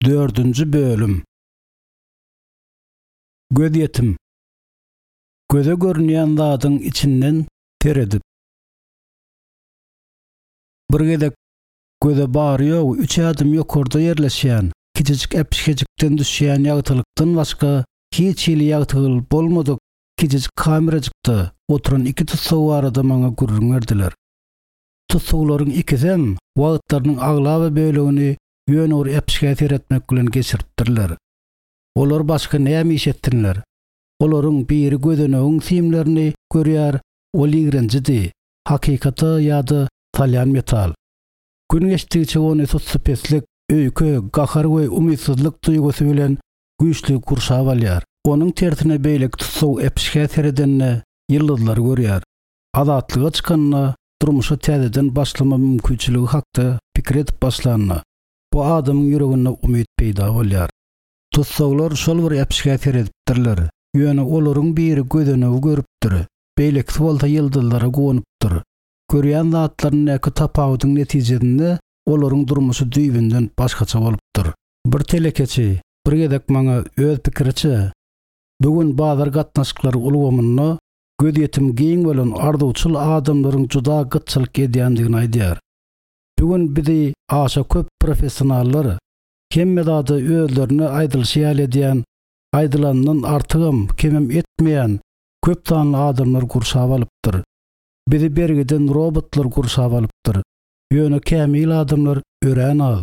Dördünji bölüm. Gözýetim. Göze görünýän zadyň içinden seredip. Bir gezek göze bary-ýogy üç ädim ýokarda ýerleşýän kiçijik äpişgejikden düşýän ýagtylykdan başga hiç hili ýagtylyk bolmadyk kiçijik kamerajykda oturan iki tussag barada maňa gürrüň berdiler. Tussaglaryň ikisem wagtlarynyň aglaba bölegini ýöne bir äpişgä seretmek bilen geçiripdirler. Olar başga näme iş etsinler? Olaryň biri gözenegiň simlerini görýär, ol ýigrenjidi, hakykata ýa-da salýan metal. Gün geçdigiçe ony sussupeslik, öýke, gahar we umytsyzlyk duýgusy bilen güýçli gurşap alýar. Onuň tersine beýleki tussag äpişgä seredende ýyldyzlary görýär. Azatlyga çykanda, durmuşa täzeden başlama mümkinçiligi hakda pikir edip başlanda, bu adamyň ýüreginde umyt peýda bolýar. Tussaglar şol bir äpişgä seredipdirler, ýöne olaryň biri gözenegi görüpdir, beýlekisi bolsa ýyldyzlara guwanypdyr. Görýän zatlaryndaky tapawudyň netijesinde olaryň durmuşy düýbünden başgaça bolupdyr. Bir telekeçi bir gezek maňa öz pikiriçe, bu gün bazar gatnaşyklary ulgamynda gözýetimi giň bolan arzuwçyl adamlaryň juda gytçylyk edýändigini aýdýar. Bu gün bizi aşa köp professionallar, hemme zady özlerine aýdylyşy ýaly edýän, aýdylanyndan artygam, kemem etmeýän köp sanly adamlar gurşap alypdyr. Bizi bergiden robotlar gurşap alypdyr. Ýöne kämil adamlar örän az.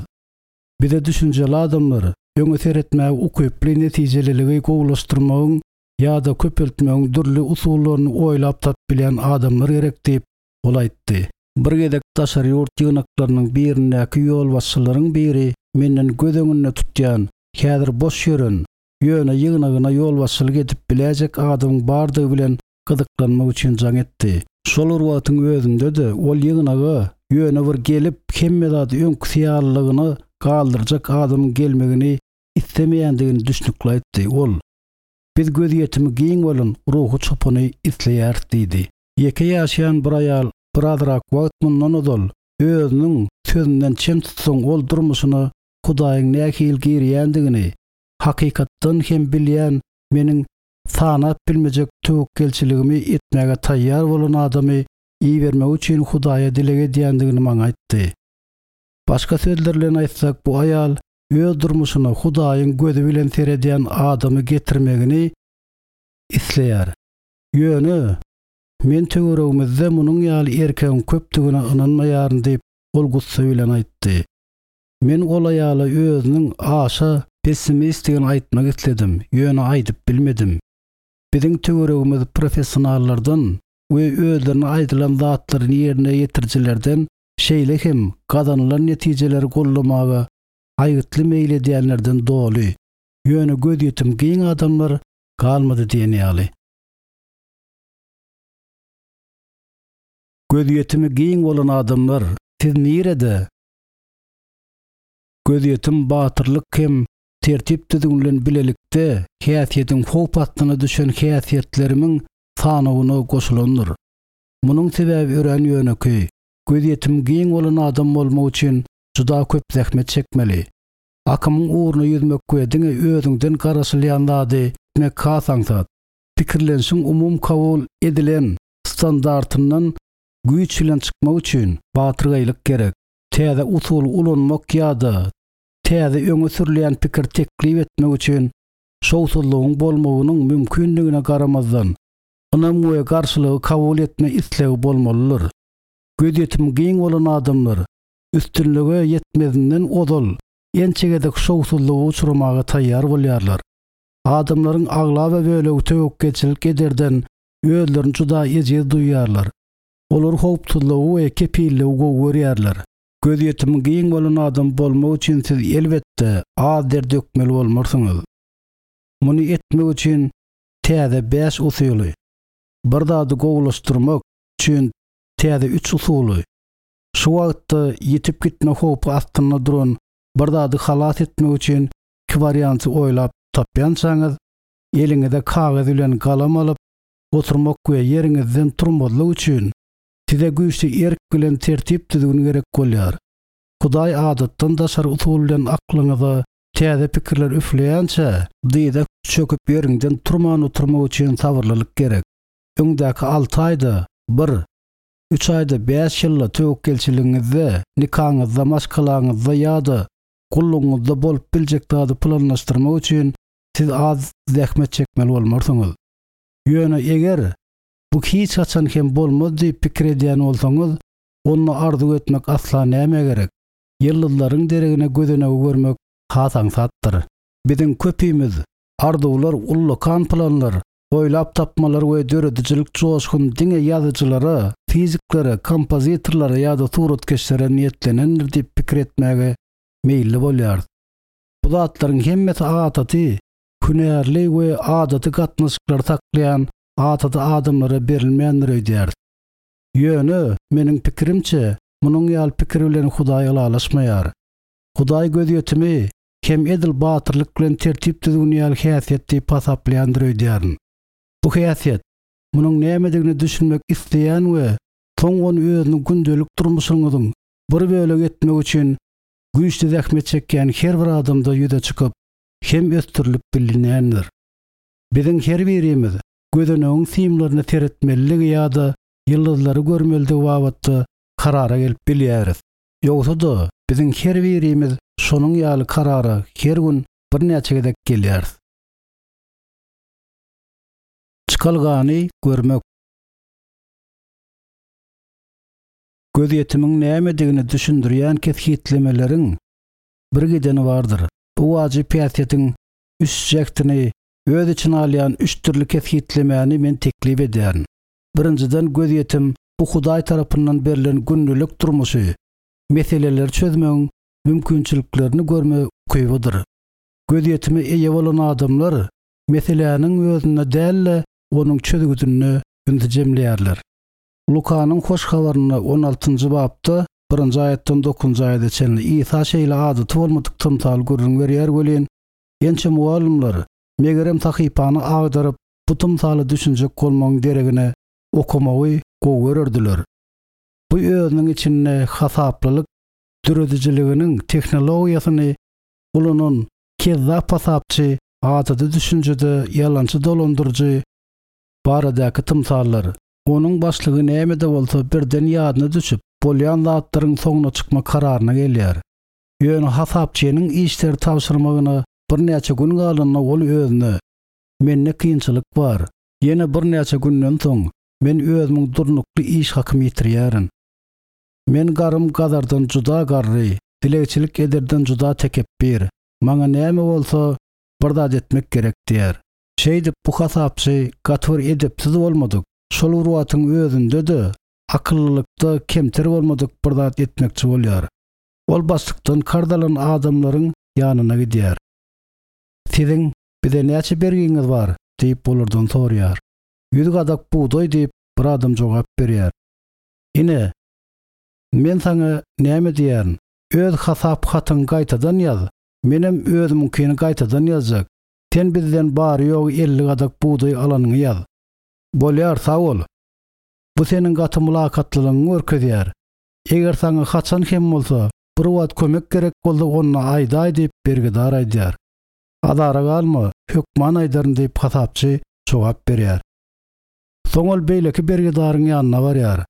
Bize düşünjeli adamlar, öňe seretmäge ukyply netijeliligi gowulaşdyrmagyň ýa-da köpeltmegiň dürli usullaryny oýlap tapyp bilýän adamlar gerek diýip, ol aýtdy. Bir gezek daşary ýurt ýygnaklarynyň birindäki ýolbaşçylaryň biri menden göz öňünde tutýan, häzir boş ýören, ýöne ýygnagyna ýolbaşçylyk edip biläýjek adamyň bardygy bilen gyzyklanmak üçin jaň etdi. Şol bir wagtyň özünde-de ol ýygnaga ýöne bir gelip, hemme zady öňküsi ýalylygyna galdyrjak adamyň gelmegini islemeýändigini düşnükli aýtdy. Ol, Biz gözýetimi giň bolan ruhy çopany isleýäris diýdi. Ýeke ýaşaýan bir aýal birazrak wagt mundan ozal özüniň sözünden çen tutsaň ol durmuşyna Hudaýyň nähili girýändigini hakykatdan hem bilýän meniň sanap bilmejek töwekgelçiligimi etmäge taýýar bolan adamy ibermegi üçin Hudaýa dileg edýändigini maňa aýtdy. Başga sözler bilen aýtsak bu aýal öz durmuşyna Hudaýyň gözi bilen seredýän adamy getirmegini isleýär. Ýöne men töweregimizde munuň ýaly erkegiň köpdügine ynanmaýaryn diýip, ol gussa bilen aýtdy. Men ol aýala özüniň aşa pessimistdigini aýtmak isledim, ýöne aýdyp bilmedim. Biziň töweregimiz professionallardan we özlerine aýdylan zatlary ýerine ýetirijilerden şeýle hem gazanylan netijeleri goldamaga aýgytly meýil edýänlerden doly, ýöne gözýetim giň adamlar galmady diýen ýaly. Gözýetimi giň bolan adamlar, siz nirede? Gözýetim batyrlyk hem tertip-düzgün bilen bilelikde häsiýetiň howp astyna düşen häsiýetlerimiň sanawyna goşulandyr. Munuň sebäbi örän ýönekeý, gözýetimi giň bolan adam bolmak üçin juda köp zähmet çekmeli. Akymyň ugruna ýüzmek we diňe özüňden garaşylýan zady etmek has aňsat. Pikirlenişiň umumy kabul edilen standartyndan güýç bilen çykmak üçin batyrgaýlyk gerek. Täze usuly ulanmak ýa-da täze öňe sürülýän pikir teklip etmek üçin şowsuzlygyň bolmagynyň mümkindigine garamazdan, ynam we garşylygy kabul etme islegi bolmalydyr. Gözýetimi giň bolan adamlar üstünlige ýetmezinden ozal ençe gezek şowsuzlyga uçramaga taýýar bolýarlar. Adamlaryň aglaba bölegi töwekgelçilik ederden özlerini juda ejiz duýýarlar. Olar howpsuzlygy we kepilligi gowy görýärler. Gözýetimi giň bolan adam bolmak üçin siz elbetde az der dökmeli bolmarsyňyz. Muny etmek üçin täze bäş usuly, bir zady gowulaşdyrmak üçin täze üç usuly, şu wagtda ýitip gitme howpy astynda duran bir zady halas etmek üçin iki warianty oýlap tapýançaňyz, eliňize kagyz bilen galam alyp oturmak we ýeriňizden turmazlyk üçin size güýçli erk bilen tertip-düzgün gerek bolýar. Hudaý adatdan daşary usul bilen aklyňyza. Täze pikirler üfleýänçä, dyza çöküp ýeriňden turman oturmak üçin sabyrlylyk gerek. Öňdäki alty aýda bir, üç aýda bäş ýylda töwekgelçiligiňizde, nikaňyzda, maşgalaňyzda ýa-da gullugyňyzda bolup biljek zady planlaşdyrmak üçin siz az zähmet çekmeli bolmarsyňyz. Ýöne eger bu hiç haçan hem bolmaz diýip pikir edýän bolsaňyz, onda arzuw etmek asla nämä gerek? Ýyldyzlaryň deregine gözenegi görmek has aňsatdyr. Biziň köpimiz arzuwlar, ullakan planlar, oýlap tapmalar we döredijilik joşgun diňe ýazyjylara, fiziklere, kompozitorlara ýa-da suratkeşlere niýetlenendir diýip pikir etmäge meýilli bolýarys. Bu zatlaryň hemmesi adaty, hünärli we adaty gatnaşyklary saklaýan adaty adamlara berilmändir öýdýäris. Ýöne, meniň pikirimçe, munuň ýaly pikir bilen Hudaý ylalaşmaýar. Hudaý gözýetimi hem edil batyrlyk bilen tertip-düzgün ýaly häsiýet diýip hasaplaýandyr öýdýärin. Bu häsiýet, munuň nämedigine düşünmek isleýän we soň ony özüniň gündelik durmuşyňyzyň bir bölegi etmek üçin güýçli zähmet çekýän her bir adamda ýüze çykyp hem ösdürilip bilinýändir. Biziň her birimiz gözenegiň simlerine seretmelidigi ýa-da ýyldyzlary görmelidigi babatda karara gelip bilýäris. Ýogsa-da, biziň her birimiz şonuň ýaly karara her gün birnäçe gezek gelýäris. Çykalgany görmek. Gözýetimiň nämedigini düşündirýän kesgitlemeleriň birgideni bardyr. Bu wajyp häsiýetiň üç jähtini öz içine alýan üç dürli kesgitlemäni men teklip edýärin. Birinjiden, gözýetim bu Hudaý tarapyndan berlen gündelik durmuşy meseleleri çözmegiň mümkinçiliklerini görme ukybydyr. Gözýetime eýe bolan adamlar meseläniň özünde däl-de, onuň çözgüdinde ünsi jemleýärler. Lukanyň Hoş Habarynda on altynjy bapda birinji aýatdan dokuzynjy aýada çenli Isa şeýle adaty bolmadyk tymsaly gürrüň berýär welin, Ençe mugallymlar, megerem sahypany agdaryp, bu tymsala düşünjek bolmagyň deregine okamagy gowy görerdiler. Bu özüniň içinde hasaplylyk döredijiliginiň tehnologiýasyny ulanan kezzap hasapçy, adaty düşünjede ýalançy dolandyryjy baradaky tymsallar. Onuň başlygy näme-de bolsa birden ýadyna düşüp, bolýan zatlaryň soňuna çykma kararyna gelýär. Ýöne hasapçynyň işleri tabşyrmagyna birnäçe gün galanda ol özüne, Mende kynçylyk bar. Ýene birnäçe günden soň men özümiň durnukly iş hakymy ýitirýärin. Men garym gazardan juda garry, dilegçilik ederden juda tekepbir. Maňa näme bolsa bir zat etmek gerek diýýär. Şeýdip bu hasapçy gaty bir edepsiz bolmadyk, şol bir wagtyň özünde-de akyllylykda kemter bolmadyk bir zat etmekçi bolýar. Ol başlykdan karz alan adamlaryň ýanyna gidýär. Siziň bize näçe bergiňiz bar? diýip, olardan soraýar. Ýüz gadak bugdaý diýip, bir adam jogap berýär. Ine, men saňa näme diýýärin, öz hasap hatyňy gaýtadan ýaz, menem özümiňkini gaýtadan ýazjak. Sen bizden bary-ýogy 50 gadak bugdaý alanyňy ýaz. Bolýar, sag bol. Bu seniň gaty mylakatlylygyňy görkezýär. Eger saňa haçan hem bolsa bir wagt kömek gerek bolsa onda aýdaý diýip bergidar aýdýar. Azara galma, hökman aýdaryn diýip hasapçy jogap berýär. Soň ol beýleki bergidaryň ýanyna barýar.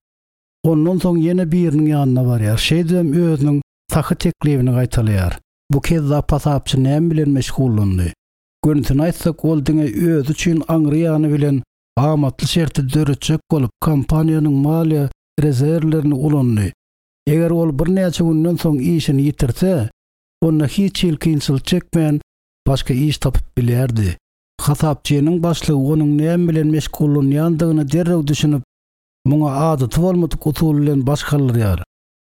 Ondan soň ýene biriniň ýanyna barýar. Şeýdibem özüniň sahy teklibini gaýtalaýar. Bu kezzap hasapçy näme bilen meşgullandy? Gönüsini aýtsak ol diňe özi üçin aňry ýany bilen amatly şerti döretjek bolup kompaniýanyň maliýe rezerwlerini ulandy. Eger ol birnäçe günden soň işini ýitirse, onda hiç hili kynçylyk çekmän başga iş tapyp bilýärdi. Hasapçynyň başlygy onuň näme bilen meşgullanýandygyna derrew düşünip, muňa adaty bolmadyk usul bilen baş galdyrýar.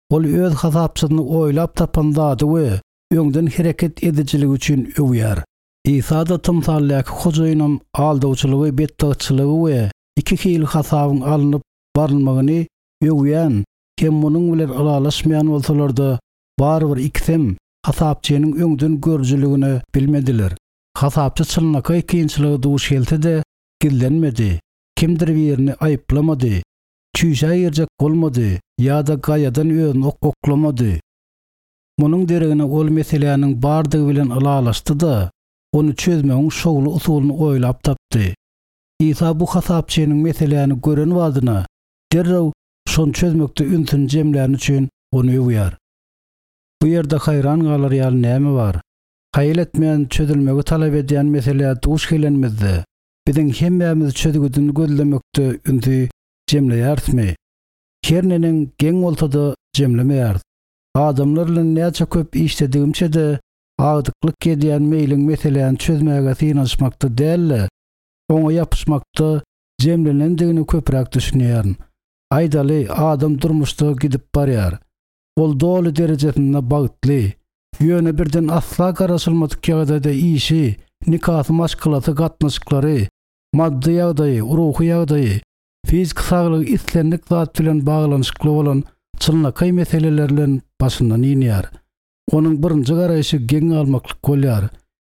Ol öz hasapçysyny oýlap tapan zady we öňden hereket edijiligi üçin öwýär. Isa-da tymsaldaky hojaýynam aldawçylygy, betbagtçylygy we iki hili hasabyň alnyp barylmagyny öwýän hem munuň bilen ylalaşmaýan bolsalar-da, barybir ikisem hasapçynyň öňden görüjiligini bilmediler. Hasapçy çynlakaý kynçylyga duş gelse-de, gizlenmedi, kimdir birini aýyplamady, çüýşä girjek bolmady ýa-da gaýadan özüni oklamady. Munuň deregine ol meseläniň bardygy bilen ylalaşdy-da, ony çözmegiň şowly usulyny oýlap tapdy. Isa bu hasapçynyň meseläni gören badyna, derrew şony çözmekde ünsüni jemläni üçin ony öwýär. Bu ýerde haýran galar ýaly näme bar? Haýal etmän çözülmegi talap edýän meselä duş gelenimizde, biziň hemmämiz çözgüdini gözlemekde ünsi jemleýärismi? Her neneň geň bolsa-da jemlemeýäris. Adamlar bilen näçe köp işledigimçe-de, agdyklyk edýän meýliň meseläni çözmäge synanyşmakda däl-de, oňa ýapyşmakda jemlenendigine köpräk düşünýärin. Aýdaly, adam durmuşda gidip barýar. Ol doly derejesinde bagtly. Ýöne birden asla garaşylmadyk ýagdaýda işi, nikasy maşgalasy gatnaşyklary, maddy ýagdaýy, ruhy ýagdaýy, fiziki saglygy islendik zat bilen baglanyşykly bolan çynlakaý meseleler bilen başyndan inýär. Onuň birinji garaýşy geň galmaklyk bolýar.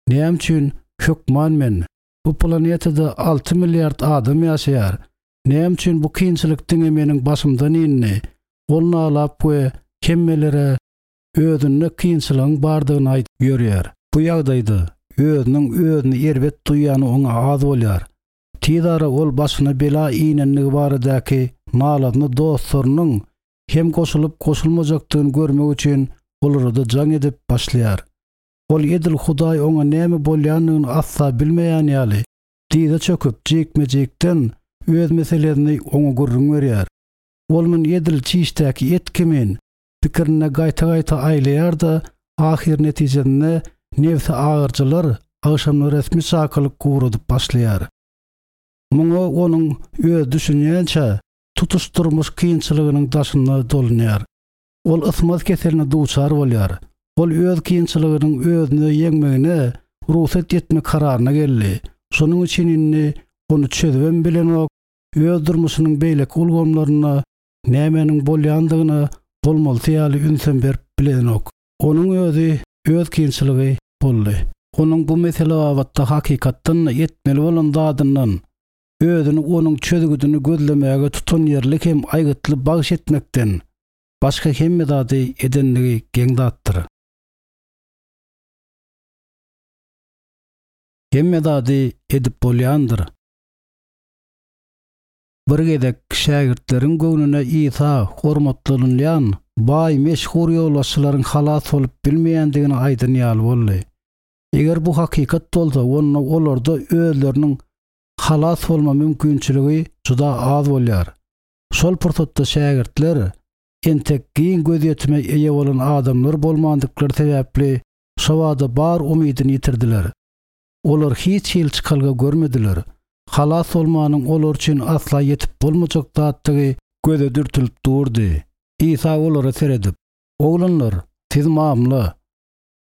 Näme üçin hökman men? Bu planetada 6 milliard adam ýaşaýar. Näme üçin bu kynçylyk diňe meniň başymdan indi? Ol nalap we hemmelere özünde kynçylygyň bardygyny aýdyp ýörýär. Bu ýagdaýda özüniň özüni erbet duýýany oňa az bolýar. Tiz ara ol başyna bela inendigi baradaky nalasyny dostlarynyň hem goşulyp-goşulmajakdygyny görmek üçin olara-da jaň edip başlaýar. Ol edil Hudaý oňa näme bolýandygyny asla bilmeýän ýaly, dyza çöküp, jikme-jikden öz meselesini oňa gürrüň berýär. Ol muny edil çişdäki et kimin, pikirinde gaýta-gaýta aýlaýar-da, ahyr netijesinde nebsi agyrjylar agşamda resmi çakylyk ugradyp başlaýar. Muňa onuň özi düşünýänçä, tutuş durmuş kynçylygynyň daşynda dolunýar. Ol ysmaz keseline duçar bolýar. Ol öz kynçylygynyň özüne ýeňmegine rugsat etme kararyna geldi. Şonuň üçin indi ony çözübem bilenok, öz durmuşynyň beýleki ulgamlarynda nämäniň bolýandygyna bolmalysy ýaly ünsem berip bilenok. Onuň özi öz kynçylygy boldy. Onuň bu mesele babatda hakykatdan-da etmeli bolan zadyndan, özüni onuň çözgüdini gözlemäge tutanýerli hem aýgytly bagyş etmekden başga hemme zady edenligi geň zatdyr. Hemme zady edip bolýandyr. Bir gezek şägirtleriň göwnüne Isa hormatlanylýan baý meşhur ýolbaşçylaryň halas bolup bilmeýändigini aýdan ýaly boldy. Eger bu hakykat bolsa, onda olarda özleriniň halas bolma mümkinçiligi juda az bolýar. Şol pursatda şägirtler entek giň gözýetime eýe bolan adamlar bolmandyklary sebäpli şobada bar umydyny ýitirdiler. Olar hiç hili çykalga görmediler. Halas bolmanyň olar üçin asla ýetip bolmajak zatdygy göze dürtülip durdy. Isa olara seredip, Oglanlar, siz mamla.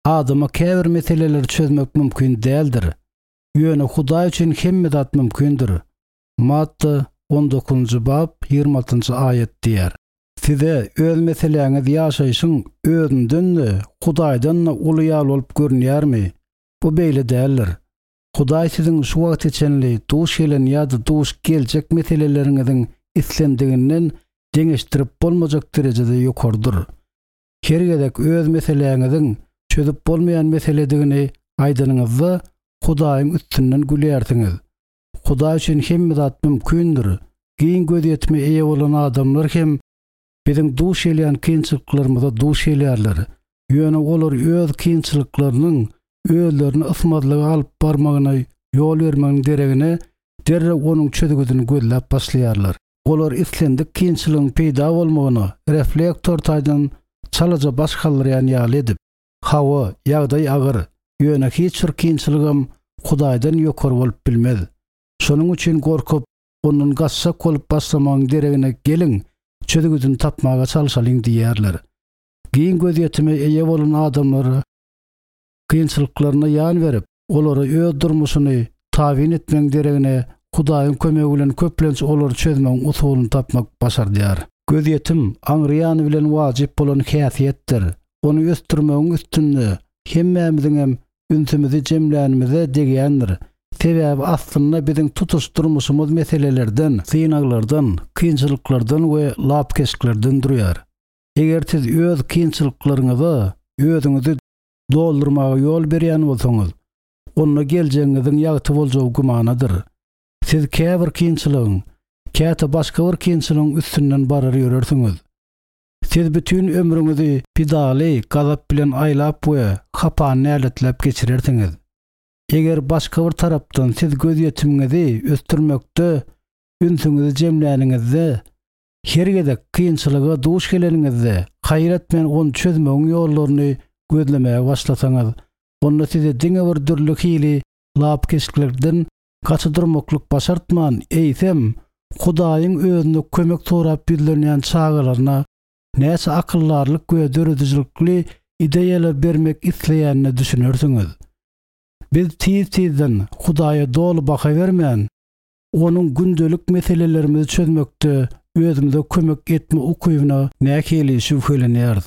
Adama käbir meseleleri çözmek mümkin däldir. Ýöne Hudaý üçin hemme zat mümkindir. Matta on dokuzynjy bap 26-njy aýat diýýär. Size öz meseläňiz ýaşaýşyň özünden-de, Hudaýdan-da uly ýaly bolup görünýärmi? Bu beýle däldir. Hudaý siziň şu wagta çenli duş gelen ýa-da duş geljek meseleleriňiziň islendiginden deňeşdirip bolmajak derejede ýokarydyr. Her gezek öz meseläňiziň çözüp bolmaýan meseledigini aýdanyňyzda, Hudaýyň üstünden gülýärsiňiz. Hudaý üçin hemme zat mümkindir. Giň gözýetime eýe bolan adamlar hem biziň duş gelýän kynçylyklarymyza duş gelýärler. Ýöne olar öz kynçylyklarynyň özlerini ysmazlyga alyp barmagyna ýol bermegiň deregine, derrew onuň çözgüdini gözläp başlaýarlar. Olar islendik kynçylygyň peýda bolmagyna reflektor taýdan çalaja baş galdyrýan ýaly edip, Hawa, ýagdaý agyr, ýöne hiç bir kynçylygam Hudaýdan ýokary bolup bilmez. Şonuň üçin gorkup, ondan gaçjak bolup başlamagyň deregine geliň, çözgüdini tapmaga çalşalyň diýýärler. Giň gözýetime eýe bolan adamlar kynçylyklaryna ýan berip, olara öz durmuşyny tabyn etmegiň deregine Hudaýyň kömegi bilen köplenç olary çözmegiň usulyny tapmak başardýar. Gözýetim, aňry ýany bilen wajyp bolan häsiýetdir. Ony ösdürmegiň üstünde hemmämiziňem ünsümizi jemlänimize degýändir. Sebäbi aslynda biziň tutuş durmuşymyz meselelerden, synaglardan, kynçylyklardan we lapykeçliklerden durýar. Eger siz öz kynçylyklaryňyza. özüňizi doldurmaga ýol berýän bolsaňyz, onda geljegiňiziň ýagty boljagy gümanadyr. Siz käbir kynçylygyň, käte başga bir kynçylygyň üstünden barar ýörersiňiz. Siz bütin ömrüňizi pidaly gazap bilen aýlap we hapany näletläp geçirersiňiz. Eger başga bir tarapdan siz gözýetimiňizi ösdürmekde ünsüňizi jemläniňizde, her gezek kynçylyga duş geleniňizde haýyr etmän ony çözmegiň ýollaryny gözlemäge başlasaňyz, onda size diňe bir dürli hili lapykeçliklerden gaça durmaklyk başartman, eýsem, Hudaýyň özüne kömek sorap ýüzlenýän çagalaryna näçe akyldarlyk we döredijilikli ideýalar bermek isleýänine düşünersiňiz. Biz tiz-tizden Hudaýa doly baha bermän, Onuň gündelik meselelerimizi çözmekde özümize kömek etme ukybyna nähili şübhelenýäris.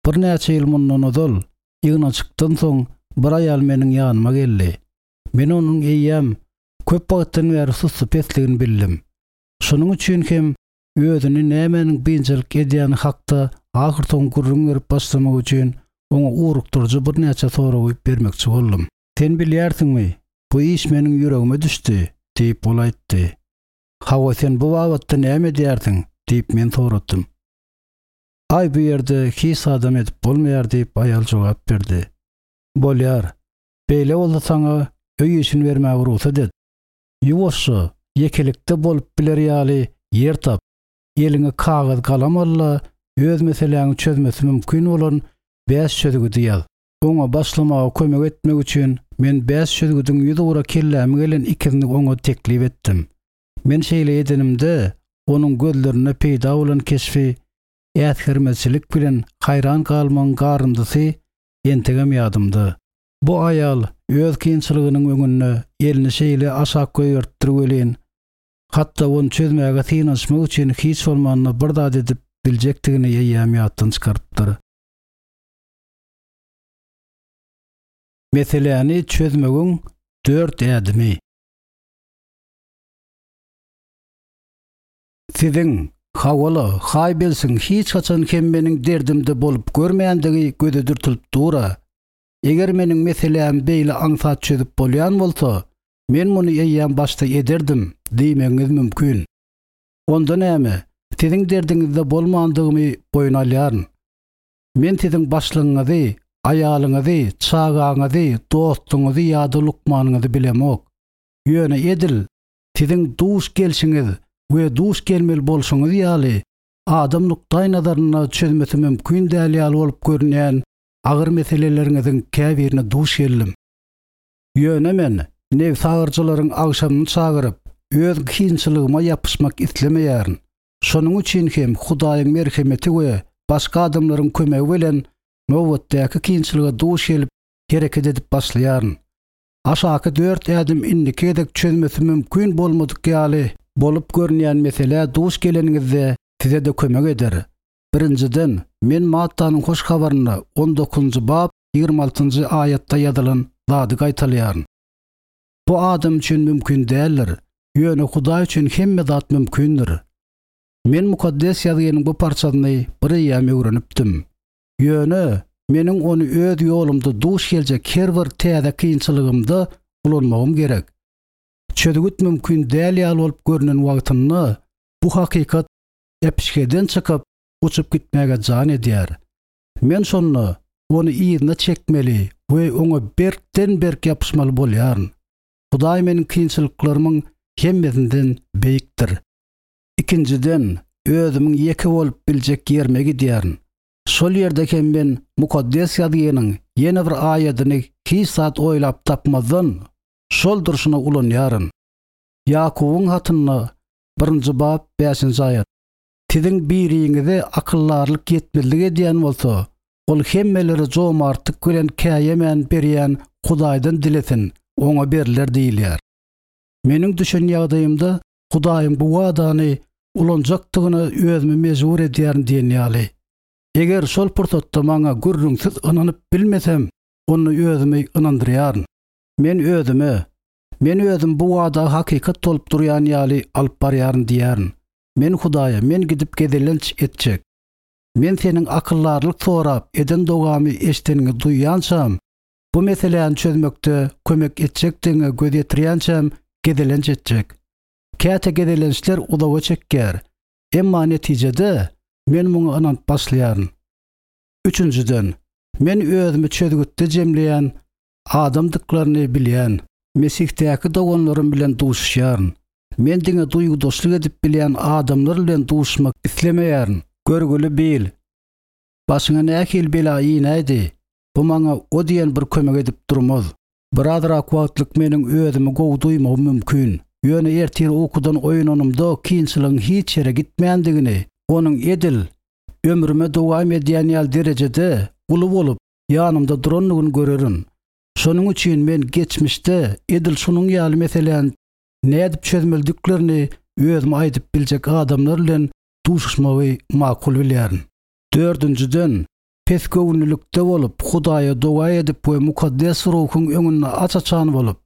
Birnäçe ýyl mundan ozal, ýygnanyşykdan soň bir aýal meniň ýanyma geldi. Men onuň eýýäm köp wagtdan bäri sussupesligini bildim. Şonuň üçin hem özüni nämäniň biynjalyk edýäni hakda ahyrsoňy gürrüň berip başlamak üçin oňa ugrukdyryjy birnäçe soragy bermekçi boldum. Sen bilýärsiňmi, bu iş meniň ýüregime düşdi, diýip, ol aýtdy. Hawa, sen bu babatda näme edýärsiň? diýip, men soradym. Aý, bu ýerde hiç zadam edip bolmaýar, diýip, aýal jogap berdi. Bolýar. Beýle bolsa saňa öý işini bermäge rugsat et. Ýuwaşja, ýekelikde bolup biler ýaly ýer tap. Eliňe kagyz-galam al-da, öz meseläňi çözmesi mümkin bolan bäş çözgüdi ýaz. Oňa başlamaga kömek etmek üçin men bäş çözgüdiň ýüzugra kelläme gelen ikisini oňa teklip etdim. Men şeýle edenimde, onuň gözlerinde peýda bolan keşbi äsgermezçilik bilen haýran galmagyň garyndysy entegem ýadymda. Bu aýal öz kynçylygynyň öňünde elini şeýle aşak goýberipdir welin, hatda ony çözmäge synanyşmak üçin hiç bolmanda bir zat edip biljekdigini eýýäm ýatdan çykarypdyr. Meseläni çözmegiň dört ädimi. Siziň, hawa-la, haý bilsin, hiç haçan hem meniň derdimde bolup görmändigi göze dürtülip dur-a. Eger meniň meselämi beýle aňsat çözüp bolýan bolsa, men muny eýýäm başda ederdim diýmegiňiz mümkin. Onda näme, siziň derdiňizde bolmandygymy boýun alýaryn. Men siziň başlygyňyzy, aýalyňyzy, çagaňyzy, dostuňyzy ýa-da lukmanyňyzy bilemok. Ýöne edil siziň duş gelşiňiz we duş gelmeli bolşuňyz ýaly, adam nukdaýnazarynda çözmesi mümkin däl ýaly bolup görünýän agyr meseleleriňiziň käbirine duş geldim. Ýöne men nebsagyryjylaryň agşamyny çagyryp, öz kynçylygyma ýapyşmak islemeýärin. Şonuň üçin hem Hudaýyň merhemeti we başga adamlaryň kömegi bilen nobatdaky kynçylyga duş gelip hereket edip başlaýaryn. Aşaky dört ädim indiki gezek çözmesi mümkin bolmadyk ýaly bolup görünýän meselä duş geleniňizde size-de kömek eder. Birinjiden, men Mattanyň Hoş Habarynda on dokuzynjy bap 26-njy aýatda ýazylan zady gaýtalaýaryn. Bu adam üçin mümkin däldir, ýöne Hudaý üçin hemme zat mümkindir. Men Mukaddes Ýazgynyň bu parçasyny bir eýýäm öwrenipdim. Ýöne meniň ony öz ýolumda duş geljek her bir täze kynçylygymda ulanmagym gerek. Çözgüt mümkin däl ýaly bolup görnen wagtynda bu hakykat äpişgeden çykyp, uçup gitmäge jan edýär. Men şonda ony yzyna çekmeli we oňa berkden-berk ýapyşmaly bolýaryn. Hudaý meniň kynçylyklarymyň hemmesinden beýikdir. Ikinjiden, özümiň ýeke bolup biljek ýerime gidýärin. Şol ýerde hem men Mukaddes Ýazgynyň ýene bir aýadyny hiç zat oýlap tapmazdan, şol durşuna ulanýaryn. Ýakubyň hatynda Birinji bap, bäşinji aýat. Siziň biriňize akyldarlyk ýetmezlik edýän bolsa, ol hemmelere jomartlyk bilen käýemän berýän Hudaýdan dilesin, oňa berler diýilýär. Meniň düşen ýagdaýymda Hudaýyň bu wadany ulanjakdygyna özümi mejbur edýärin diýen ýaly. Eger şol pursatda maňa gürrüňsiz ynanyp bilmesem, onda özümi ynandyrýaryn. Men özüme, Men özüm bu wada hakykat bolup durýan ýaly alyp barýaryn diýýärin. Men Hudaýa, men gidip gezelenç etjek. Men seniň akyldarlyk sorap eden dogamy eşideniňi duýýançam, bu meseläni çözmekde kömek etjekdigiňe göz ýetirýänçäm gezelenç etjek. Käte gezelençler uzaga çekýär, emma netijede men muňa ynanyp başlaýaryn. Üçünjiden, men özümi çözgütde jemleýän adamdyklaryny bilýän. Mesihdäki doganlarym bilen duşuşýaryn. Men diňe duýgudaşlyk edip bilýän adamlar bilen duşuşmak islemeýärin. Görgüli Bill, başyňa nähili bela inäýdi? Bu maňa o diýen bir kömek edip durmaz. Birazrak wagtlyk meniň özümi gowy duýmagym mümkin. Ýöne ertir ukudan oýananymda kynçylygyň hiç ýere gitmändigini, onuň edil ömrüme dowam edýän ýaly derejede uly bolup ýanymda durandygyny görerin. Şonuň üçin men geçmişde edil şunuň ýaly meseläni nädip çözmelidiklerini özüme aýdyp biljek adamlar bilen duşuşmagy makul bilýärin. Dördünjiden, pesgöwünlilikde bolup, Hudaýa doga edip we Mukaddes Ruhuň öňünde aç-açan bolup,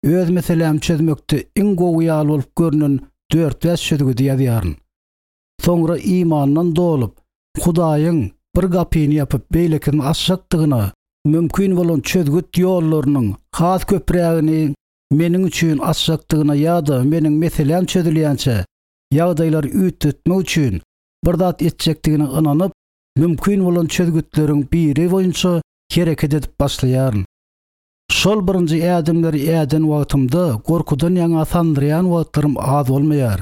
öz meselämi çözmekde iň gowy ýaly bolup görnen dört-bäş çözgüdi ýazýaryn. Soňra imandan dolup, Hudaýyň bir gapyny ýapyp, beýlekisini açjakdygyna, mümkin bolan çözgüt ýollarynyň has köprägini meniň üçin açjakdygyna ýa-da meniň meseläm çözülýänçä ýagdaýlary üýtgetmek üçin bir zat etjekdigine ynanyp, mümkin bolan çözgütleriň biri boýunça hereket edip başlaýaryn. Şol birinji ädimleri äden wagtymda gorkudan ýaňa sandyraýan wagtlarym az bolmaýar.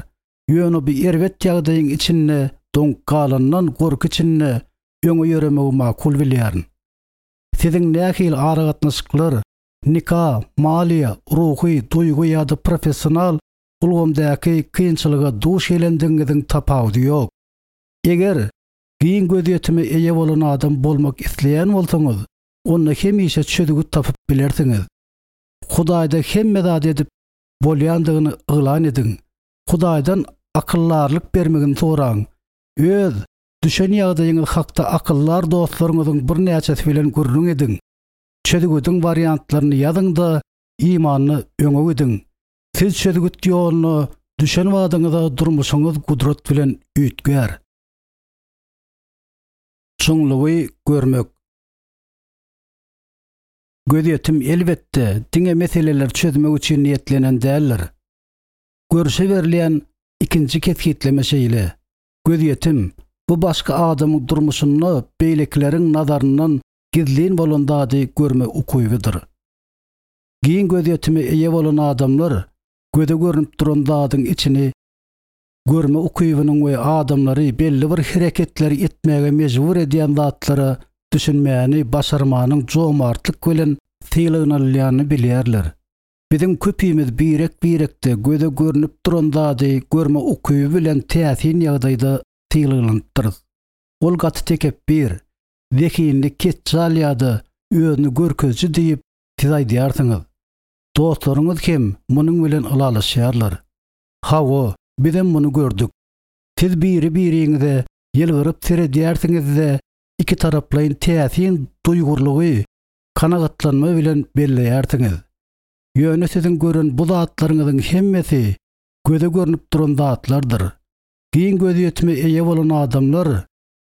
Ýöne bu erbet ýagdaýyň içinde doňup galandan gorky içinde öňe ýöremegi makul bilýärin. Siziň nähili aragatnaşyklar, nika, maliýe, ruhy, duýgy ýa-da professional ulgamdaky kynçylyga duş gelendigiňiziň tapawudy ýok. Eger giň gözýetime eýe bolan adam bolmak isleýän bolsaňyz, onda hemişe çözgüt tapyp bilersiňiz. Hudaýda hemme zady edip bolýandygyny yglan ediň. Hudaýdan akyldarlyk bermegini soraň. Öz düşen ýagdaýyňyz hakda akyldar dostlaryňyzyň birnäçesi bilen gürrüň ediň. Çözgüdiň wariantlaryny ýazyň-da, imanda öňe gidiň. Siz çözgüt ýoluna düşen badyňyza durmuşyňyz gudrat bilen üýtgär. Çuňlugy görmek. Gözýetim, elbetde, diňe meseleleri çözmek üçin niýetlenen däldir. Görşe berilýän ikinji kesgitleme şeýle, Gözýetim, bu başga adamyň durmuşynda beýlekileriň nazaryndan gizlin bolan zady görme ukybydyr. Giň gözýetime eýe bolan adamlar göze görnüp duran zadyň içini görme ukybynyň we adamlary belli bir hereketleri etmäge mejbur edýän zatlara düşünmäni başarmanyň jomartlyk bilen sylaglanylýanyny bilýärler. Biziň köpimiz birek-birekde göze görnüp duran zady görme ukyby bilen täsin ýagdaýda sylaglanypdyrys. Ol gaty tekepbir, zehinli ketjal ýa-da özüni görkeziji diýip siz aýdýarsyňyz. Dostlaryňyz hem munuň bilen ylalaşýarlar. Hawa, bizem muny gördük. Siz biri-biriňize ýylgyryp seredýärsiňiz-de, ikitaraplaýyn täsin duýgurlygy kanagatlanma bilen belleýärsiňiz. Ýöne siziň gören bu zatlaryňyzyň hemmesi göze görnüp duran zatlardyr. Giň gözýetime eýe bolan adamlar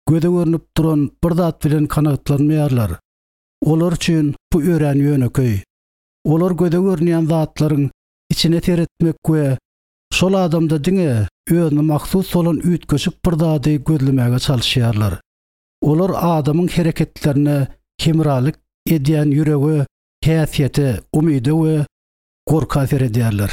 göze görnüp duran bir zat bilen kanagatlanmaýarlar. Olar üçin bu örän ýönekeý. Olar göze görünýän zatlaryň içine seretmek we şol adamda diňe özüne mahsus bolan üýtgeşik bir zady gözlemäge çalyşýarlar. Olar adamyň hereketlerine hemralyk edýän ýürege, häsiýete, umyda we gorka seredýärler.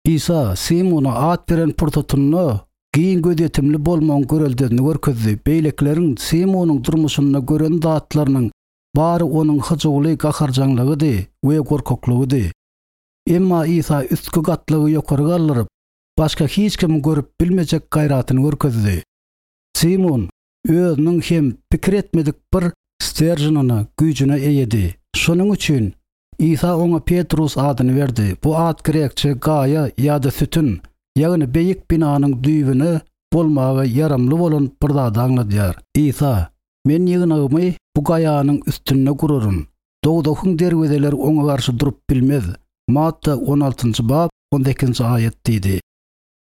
Isa Simuna at beren pursatynda giň gözýetimli bolmagyň göreldesini görkezdi. Beýlekileriň Simunyň durmuşynda gören zatlarynyň bary onuň hyjuwly gaharjaňlygydy we gorkaklygydy. Emma Isa üstki gatlagy ýokary galdyryp, başga hiç kimiň görüp bilmejek gaýratyny görkezdi. Simun özüniň hem pikir etmedik bir steržinine, güýjüne eýedi. Şonuň üçin Isa oňa Petrus adyny berdi. Bu at grekçe gaýa ýa-da sütün, ýagny beýik binanyň düýbüne bolmaga ýaramly bolan bir zady aňladýar. Isa, Men ýygnagymy bu gaýanyň üstünde guraryn. Dowzahyň derwezeleri oňa garşy durup bilmez, Matta on altynjy bap, on sekizinji aýat diýdi.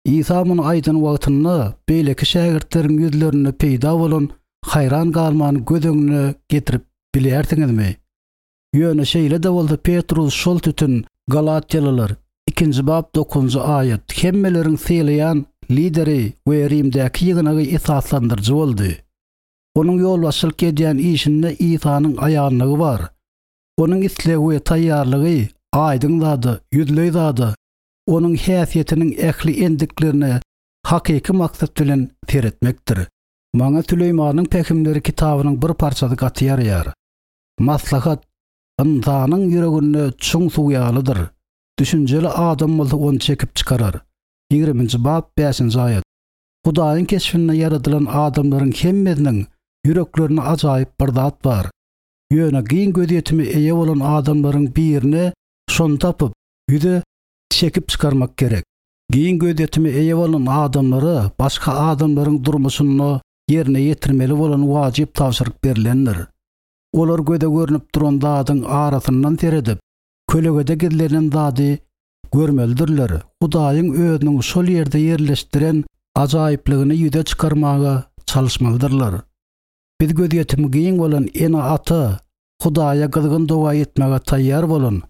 Isa muny aýdan wagtynda beýleki şägirtleriň ýüzlerinde peýda bolan. haýran galmany göz öňüne getirip bilýärsiňizmi? Ýöne şeýle-de bolsa Petrus şol tütün Galatýalylar, ikinji bap dokuzynjy aýat, hemmeleriň sylaýan lideri we Rimdäki ýygnagy esaslandyryjy boldy. Onuň ýolbaşçylyk edýän işinde Isanyň aýanlygy bar. Onuň islegi we taýýarlygy aýdyň zada, ýüzleý zada, onuň häsiýetiniň ähli endiklerine hakyky maksat bilen seretmekdir. Maňa Süleýmanyň pähimleri kitabynyň bir parçasy gaty ýaraýar. Maslahat ynsanyň ýüreginde çuň suw ýalydyr. Düşünjeli adam bolsa ony çekip çykarar. Ýigriminji bap, bäşinji aýat. Hudaýyň keşbinde ýaradylan adamlaryň hemmesiniň ýüreklerinde ajaýyp bir zat bar. Ýöne giň gözýetime eýe bolan adamlaryň birine şony tapyp, ýüze çekip çykarmak gerek. Giň gözýetime eýe bolan adamlara başga adamlaryň durmuşynda ýerine ýetirmeli bolan wajyp tabşyryk berlendir. Olar göze görnüp duran zadyň arasyndan seredip, kölegede gizlenen zady görmelidirler, Hudaýyň özüniň şol ýerde ýerleşdiren ajaýyplygyny ýüze çykarmaga çalyşmalydyrlar. Biz gözýetimi giň bolan ene-ata, Hudaýa gyzgyn doga etmäge taýýar bolan,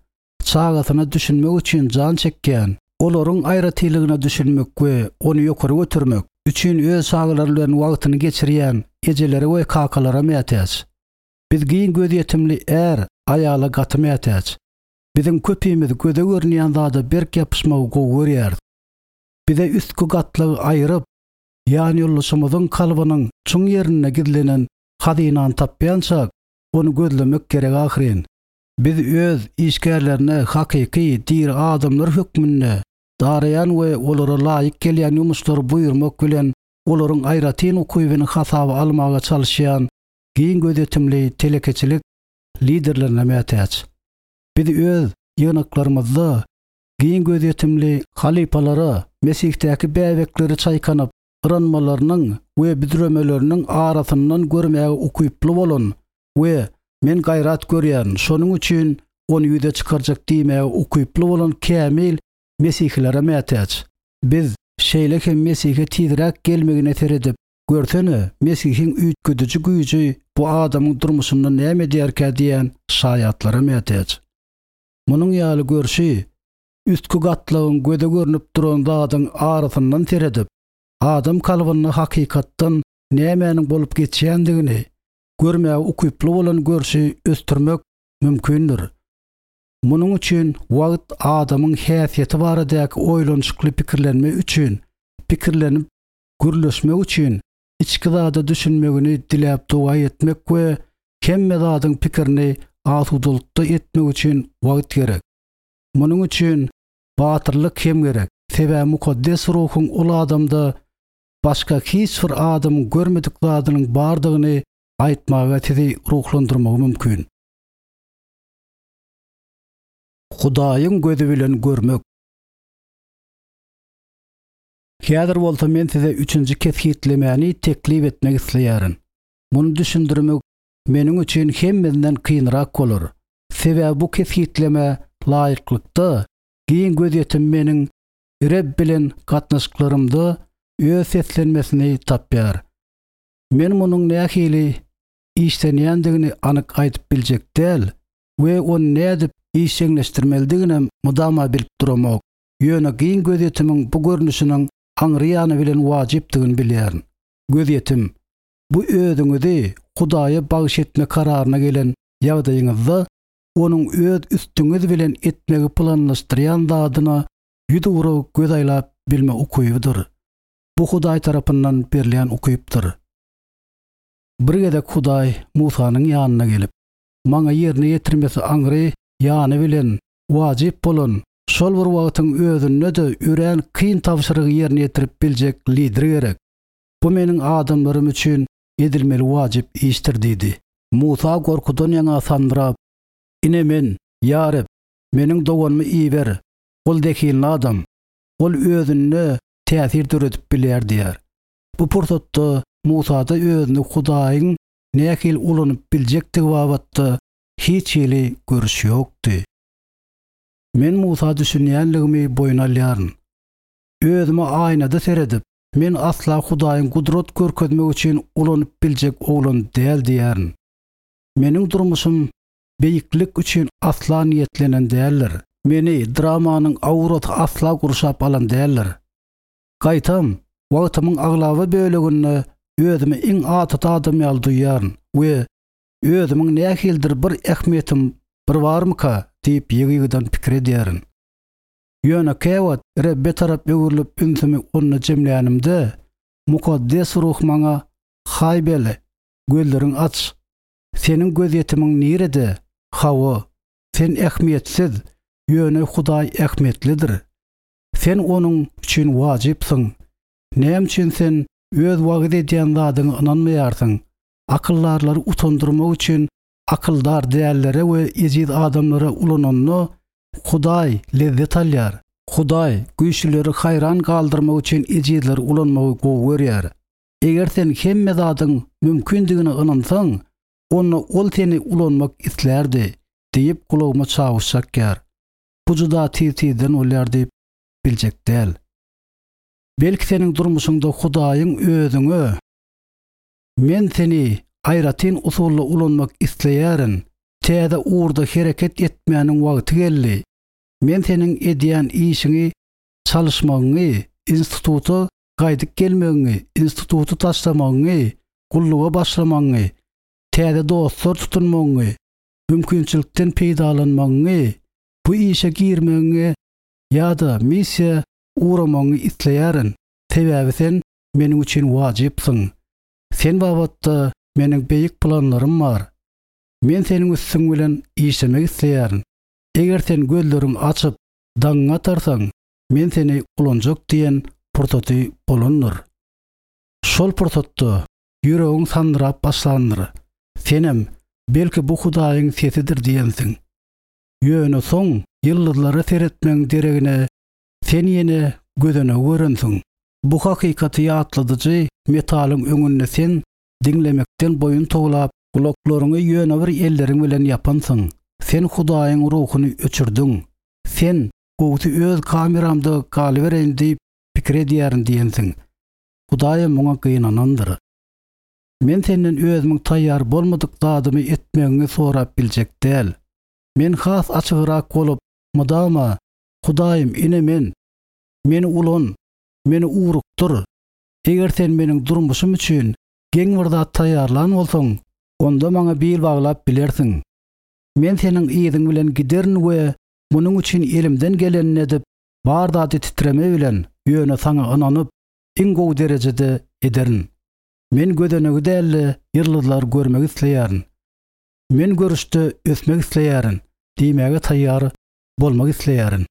çagasyna düşünmek üçin jan çekýän, olaryň aýratynlygyna düşünmek we ony ýokary götermek üçin öz çagalary bilen wagtyny geçirýän ejelere we kakalara mätäç. Biz giň gözýetimli är, aýala gaty mätäç. Biziň köpimiz göze görünýän zada berk ýapyşmagy gowy görýäris. Bize üstki gatlagy aýryp, ýanýoldaşymyzyň kalbynyň çuň ýerinde gizlenen hazynany tapýançak, ony gözlemek gerek ahyryn. Biz öz işgärlerine hakyky diri adamlar hökmünde daraýan we olara laýyk gelýän ýumuşlary buýurmak bilen olaryň aýratyn ukybyny hasaba almaga çalyşýan giň gözýetimli telekeçilik liderlerine mätäç. Biz öz ýygnaklarymyzda giň gözýetimli halypalara Mesihdäki bäbekleri çaýkanyp yranmalarynyň we büdremeleriniň arasyndan görmäge ukyply bolan we Men gaýrat görýärin, şonuň üçin ony ýüze çykarjak diýmäge ukyply bolan kämil mesihilere mätäç. Biz, şeýle hem Mesihe tizräk gelmegine seredip, Görsene, Mesihiň üýtgediji güýji bu adamyň durmuşynda näme edýärkä diýen şaýatlara mätäç. Munuň ýaly görşi, üstki gatlagyň göze görnüp duran zadyň arasyndan seredip, adam kalbynda hakykatdan nämäniň bolup geçýändigini görmäge ukyply bolan görşi ösdürmek mümkindir. Munuň üçin wagt adamyň häsiýeti baradaky oýlanyşykly pikirlenme üçin, pikirlenip gürleşmek üçin içki zada düşünmegini diläp doga etmek we hemme zadyň pikirini asudalykda etmek üçin wagt gerek. Munuň üçin batyrlyk hem gerek, sebäbi Mukaddes Ruhuň ol adamda başga hiç bir adamyň görmedik zadynyň bardygyny aýtmaga sizi ruhlandyrmagy mümkin. Hudaýyň gözi bilen görmek. Häzir bolsa men size üçünji kesgitlemäni teklip etmek isleýärin. Muny düşündirmek meniň üçin hemmesinden kynrak bolar. Sebäbi bu kesgitlemä laýyklykda giň gözýetim meniň Reb bilen gatnaşyklarymda öz seslenmesini tapýar. Men munuň nähili işlenýändigini anyk aýdyp biljek däl we ony nädip işjeňleşdirmelidiginem mydama bilip duramok, ýöne giň gözýetimiň bu görnüşiniň aňry ýany bilen wajypdygyny bilýärin. Gözýetim, bu özüňizi Hudaýa bagyş etme kararyna gelen ýagdaýyňyzda Onuň öz üstüňiz bilen etmegi planlaşdyrýan zadyna ýüzugra göz aýlap bilme ukybydyr. Bu Hudaý tarapyndan berilýän ukypdyr. Bir gezek Hudaý Musanyň ýanyna gelip, Maňa ýerine ýetirmesi aňry ýany bilen wajyp bolan, şol bir wagtyň özünde-de örän kyn tabşyrygy ýerine ýetirip biljek lider gerek. Bu meniň adamlarym üçin edilmeli wajyp işdir diýdi. Musa gorkudan ýaňa sandyrap, Ine men, ýa Reb, meniň doganymy iber, ol zehinli adam, ol özünde täsir döredip bilýär diýýär. Bu pursatda Musada özüni Hudaýyň nähili ulanyp biljekdigi babatda hiç hili görüş ýokdy. Men Musa düşünýänligimi boýun alýaryn. Özüme aýnada seredip. Men asla Hudaýyň gudrat görkezmek üçin ulanyp biljek oglan däl diýýärin. Meniň durmuşym beýiklik üçin asla niýetlenen däldir. Meni dramanyň aurasy asla gurşap alan däldir. Gaýtam, wagtymyň aglaba böleginde özümi iň adaty adam ýaly duýýaryn we özümiň nähilidir bir ähmiýetim bir barmyka diýip ýygy-ýygydan pikir edýärin. Ýöne käwagt Rebbe tarap öwrülip ünsümi Onda jemlänimde, Mukaddes Ruh maňa, Haýbel, gözleriňi aç! Seniň gözýetimiň nirede? Hawa, sen ähmiýetsiz, ýöne Hudaý ähmiýetlidir. Sen Onuň üçin wajypsyň. Näme üçin sen öz wagyz edýän zadyňa ynanmaýarsyň? Akyldarlary utandyrmak üçin akyldar dällere we ejiz adamlara ulananda Hudaý lezzet alýar. Hudaý güýçlüleri haýran galdyrmak üçin ejizleri ulanmagy gowy görýär. Eger sen hemme zadyň mümkindigine ynansaň, onda Ol seni ulanmak islärdi, diýip gulagyma çawuş çakýar. Bu juda tiz-tizden bolýar diýip biljek däl. Belki seniň durmuşyňda Hudaýyň özüňe Men seni aýratyn usulda ulanmak isleýärin. Täze ugurda hereket etmäniň wagty geldi. Men seniň edýän işiňi çalyşmagyňy, instituta gaýdyp gelmegiňi, instituty taşlamagyňy, gulluga başlamagyňy, täze dostlar tutunmagyňy, mümkinçilikden peýdalanmagyňy, bu işe girmegiňi ýa-da missiýa ugramagyňy isleýärin, sebäbi sen meniň üçin wajypsyň. Sen babatda meniň beýik planlarym bar. Men seniň üstüň bilen işlemek isleýärin. Eger sen gözleriňi açyp, daňyňy atarsaň, men seni ulanjak diýen pursaty bolandyr. Şol pursatda ýüregiň sandyrap başlandyr. Senem, belki bu Hudaýyň sesidir diýensiň. Ýöne soň ýyldyzlara seretmegiň deregine sen ýene gözenegi görensiň. Bu hakykaty ýatladyjy metalyň öňünde sen diňlemekden boýun towlap, gulaklaryňy ýöne bir elleriň bilen ýapansyň. Sen Hudaýyň Ruhuny öçürdiň. Sen, gowusy öz kameramda galybereýin diýip pikir edýärin diýensiň. Hudaýam muňa gynanandyr. Men senden özümiň taýýar bolmadyk zadymy etmegiňi sorap biljek däl. Men has açygrak bolup, mydama, Hudaýym, ine men! Meni ulan, meni ugrukdyr. Eger sen meniň durmuşym üçin geň bir zat taýýarlan bolsaň, onda maňa bil baglap bilersiň. Men seniň yzyň bilen giderin we munuň üçin elimden gelenini edip, bar zady titreme bilen, ýöne saňa ynanyp, iň gowy derejede ederin. Men gözenegi däl-de, ýyldyzlary görmek isleýärin. Men görüşde ösmek isleýärin diýmäge taýýar bolmak isleýärin.